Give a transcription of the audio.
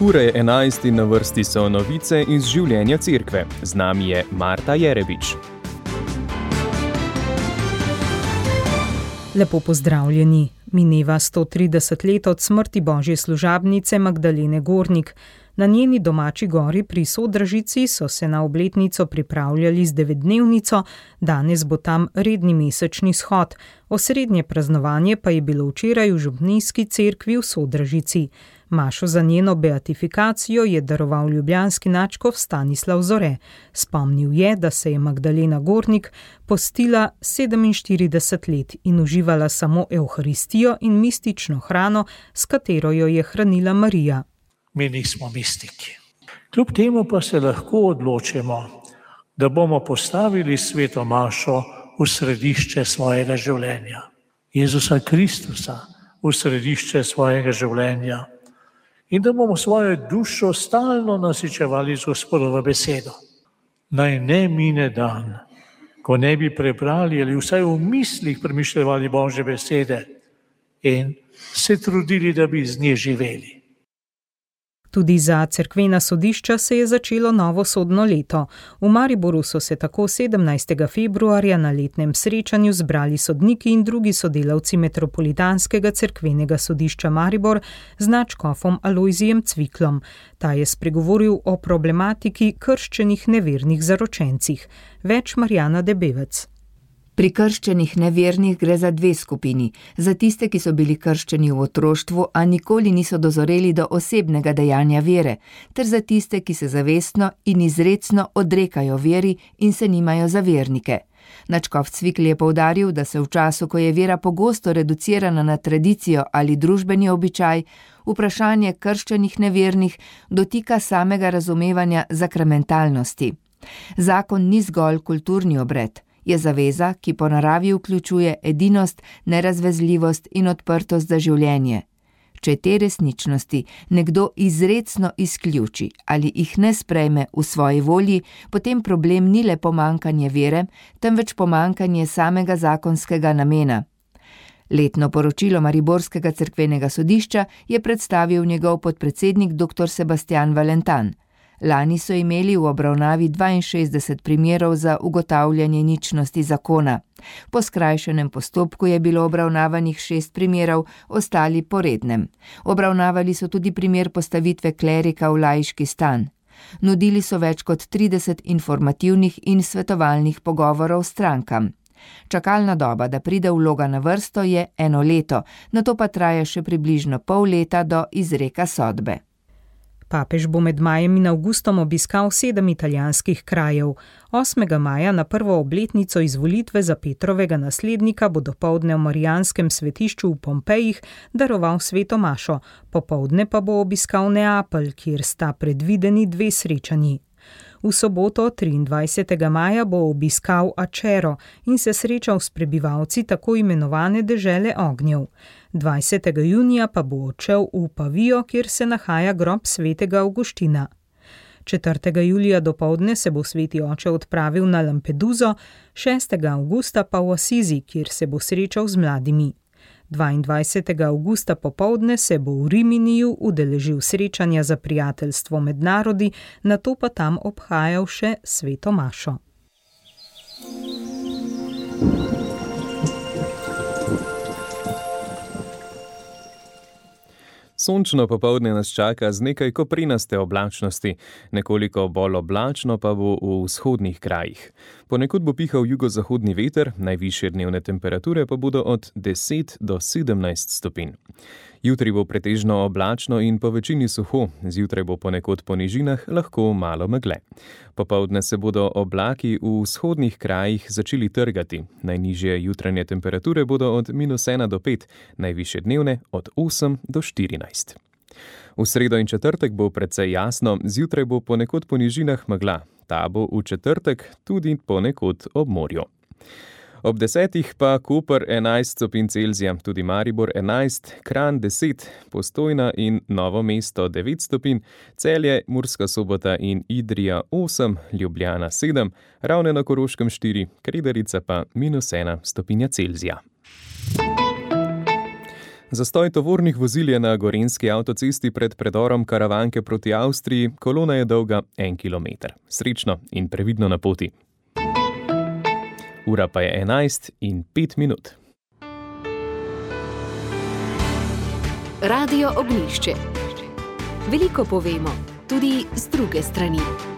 Ura je 11 in na vrsti so novice iz življenja cerkve. Z nami je Marta Jerebič. Lepo pozdravljeni. Mineva 130 let od smrti božje služabnice Magdalene Gornik. Na njeni domači gori pri Sodražici so se na obletnico pripravljali z 9-dnevnico, danes bo tam redni mesečni shod. Osrednje praznovanje pa je bilo včeraj v župnijski cerkvi v Sodražici. Mašo za njeno beatifikacijo je daroval ljubljanski nadškof Stanislav Zore. Spomnil je, da se je Magdalena Gornik postila 47 let in uživala samo evharistijo in mistično hrano, s katero jo je hranila Marija. Mi nismo mistiki. Kljub temu pa se lahko odločimo, da bomo postavili sveto mašo v središče svojega življenja. Jezusa Kristusa v središče svojega življenja. In da bomo svojo dušo stalno nasičevali z Gospodovo besedo. Naj ne mine dan, ko ne bi prebrali ali vsaj v mislih premišljali Božje besede in se trudili, da bi z nje živeli. Tudi za cerkvena sodišča se je začelo novo sodno leto. V Mariboru so se tako 17. februarja na letnem srečanju zbrali sodniki in drugi sodelavci Metropolitanskega cerkvenega sodišča Maribor z nadškofom Alojzijem Cviklom. Ta je spregovoril o problematiki krščenih nevernih zaročencih. Več Marjana Debevec. Pri krščenih nevernih gre za dve skupini. Za tiste, ki so bili krščeni v otroštvu, a nikoli niso dozoreli do osebnega dejanja vere, ter za tiste, ki se zavestno in izrecno odrekajo veri in se nimajo za vernike. Nadškof Cvikl je poudaril, da se v času, ko je vera pogosto reducirana na tradicijo ali družbeni običaj, vprašanje krščenih nevernih dotika samega razumevanja sakramentalnosti. Zakon ni zgolj kulturni obred. Je zaveza, ki po naravi vključuje edinost, nerazvezljivost in odprtost za življenje. Če te resničnosti nekdo izrecno izključi ali jih ne sprejme v svoji volji, potem problem ni le pomanjkanje vere, temveč pomanjkanje samega zakonskega namena. Letno poročilo Mariborskega cerkvenega sodišča je predstavil njegov podpredsednik dr. Sebastian Valentan. Lani so imeli v obravnavi 62 primerov za ugotavljanje ničnosti zakona. Po skrajšenem postopku je bilo obravnavanih 6 primerov, ostali po rednem. Obravnavali so tudi primer postavitve klerika v laiški stan. Nudili so več kot 30 informativnih in svetovalnih pogovorov strankam. Čakalna doba, da pride vloga na vrsto, je 1 leto, nato pa traja še približno pol leta do izreka sodbe. Papež bo med majem in avgustom obiskal 7 italijanskih krajev. 8. maja na prvo obletnico izvolitve za Petrovega naslednika bo dopoldne v Marijanskem svetišču v Pompejih daroval sveto mašo, popoldne pa bo obiskal Neapelj, kjer sta predvideni 2 srečanji. V soboto 23. maja bo obiskal Acero in se srečal s prebivalci tako imenovane dežele ognjev. 20. junija pa bo odšel v Pavijo, kjer se nahaja grob svetega Avguština. 4. julija dopoldne se bo sveti oče odpravil na Lampeduzo, 6. avgusta pa v Asizi, kjer se bo srečal z mladimi. 22. avgusta popoldne se bo v Riminiju udeležil srečanja za prijateljstvo med narodi, nato pa tam obhajal še sveto mašo. Sončno popoldne nas čaka z nekaj koprinaste oblačnosti, nekoliko bolj oblačno pa bo v vzhodnih krajih. Ponekod bo pihal jugozahodni veter, najvišje dnevne temperature pa bodo od 10 do 17 stopinj. Jutri bo pretežno oblačno in po večini suho, zjutraj bo ponekod po nižinah lahko malo megle. Popoldne se bodo oblaki v vzhodnih krajih začeli trgati. Najnižje jutranje temperature bodo od -1 do 5, najvišje dnevne od 8 do 14. V sredo in četrtek bo precej jasno, zjutraj bo ponekod po nižinah megla. Ta bo v četrtek tudi ponekod ob morju. Ob 10 pa Koper 11 stopinj Celzija, tudi Maribor 11, Kranj 10, Postojna in Novo mesto 9 stopinj, Celje, Murska Sobota in Idrija 8, Ljubljana 7, Ravne na Koroškem 4, Kredarica pa -1 stopinja Celzija. Zastoj tovornih vozil je na gorenjski avtocesti pred predorom Karavanke proti Avstriji, kolona je dolga 1 kilometer. Srečno in previdno na poti. Ura pa je 11:05. Radio Ognjišče. Veliko povemo, tudi z druge strani.